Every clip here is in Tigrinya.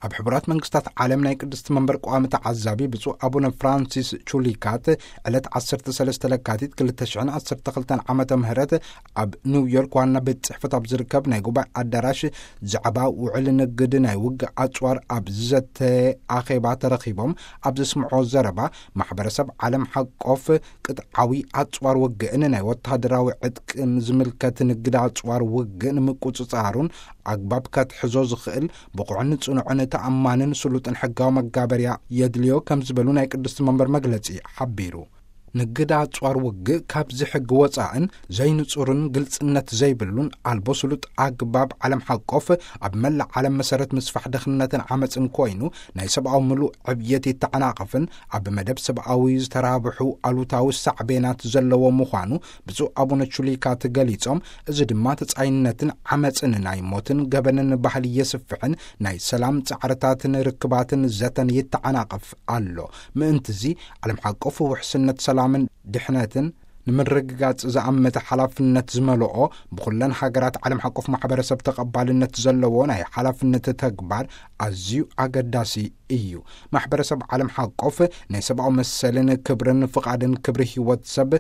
ኣብ ሕቡራት መንግስታት ዓለም ናይ ቅድስቲ መንበር ቋሚ ተዓዛቢ ብፁዕ ኣቡነ ፍራንሲስ ቹሊካት ዕለት ዓሰርተ ሰለስተ ለካቲት ክልተ ሽሕን ዓሰርተ ክልተን ዓመተ ምህረት ኣብ ኒውዮርክ ዋና ቤት ጽሕፈት ኣብ ዝርከብ ናይ ጉባኤ ኣዳራሽ ዛዕባ ውዕል ንግድ ናይ ውግእ ኣጽዋር ኣብ ዝዘተ ኣኼባ ተረኺቦም ኣብ ዘስምዖ ዘረባ፣ ማሕበረሰብ ዓለም ሓቆፍ ቅጥዓዊ ኣጽዋር ውግእን ናይ ወታደራዊ ዕጥቅን ዝምልከት ንግድ ኣጽዋር ውግእ ንምቁጽጻሩን ኣግባብ ከትሕዞ ዝኽእል ብቑዕን ጽኑዕን ተኣማንን ስሉጥን ሕጋዊ መጋበርያ የድልዮ ከም ዝበሉ ናይ ቅድስቲ መንበር መግለጺ ሓቢሩ። ንግድ ኣጽዋር ውግእ ካብዚ ሕጊ ወጻእን ዘይንጹርን ግልጽነት ዘይብሉን ኣልቦ ስሉጥ ኣግባብ ዓለም ሓቆፍ ኣብ መላእ ዓለም መሰረት ምስፋሕ ድኽነትን ዓመጽን ኮይኑ ናይ ሰብኣዊ ምሉእ ዕብየት ይተዓናቐፍን ኣብ መደብ ሰብኣዊ ዝተራብሑ ኣሉታዊ ሳዕቤናት ዘለዎ ምዃኑ ብፁዕ ኣቡነ ቹሊካት ገሊጾም፣ እዚ ድማ ተጻይነትን ዓመጽን ናይ ሞትን ገበንን ባህሊ የስፍሕን ናይ ሰላም ጻዕርታትን ርክባትን ዘተን ይተዓናቐፍ ኣሎ። ምእንትዚ ዓለም ሓቆፍ ውሕስነት ሰላምን ድሕነትን ንምርግጋጽ ዝኣመተ ሓላፍነት ዝመልኦ ብኹለን ሃገራት ዓለም ሓቆፍ ማሕበረሰብ ተቐባልነት ዘለዎ ናይ ሓላፍነት ተግባር ኣዝዩ ኣገዳሲ እዩ። ማሕበረሰብ ዓለም ሓቆፍ ናይ ሰብኣዊ መሰልን ክብርን ፍቓድን ክብሪ ህይወት ሰብ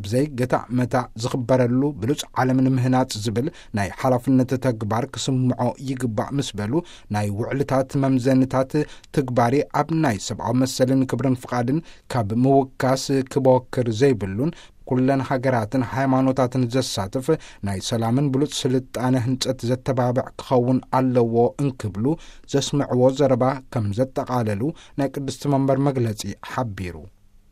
ብዘይ ገታ መታ ዝኽበረሉ ብሉጽ ዓለም ንምህናጽ ዝብል ናይ ሓላፍነት ተግባር ክስምዖ ይግባእ ምስ በሉ፣ ናይ ውዕልታት መምዘንታት ትግባሪ ኣብ ናይ ሰብኣዊ መሰልን ክብርን ፍቓድን ካብ ምውካስ ክበክር ዘይብሉን ኩለን ሃገራትን ሃይማኖታትን ዘሳትፍ ናይ ሰላምን ብሉጽ ስልጣነ ህንጸት ዘተባብዕ ክኸውን ኣለዎ እንክብሉ ዘስምዕዎ ዘረባ ከም ዘጠቓለሉ ናይ ቅድስቲ መንበር መግለጺ ሓቢሩ።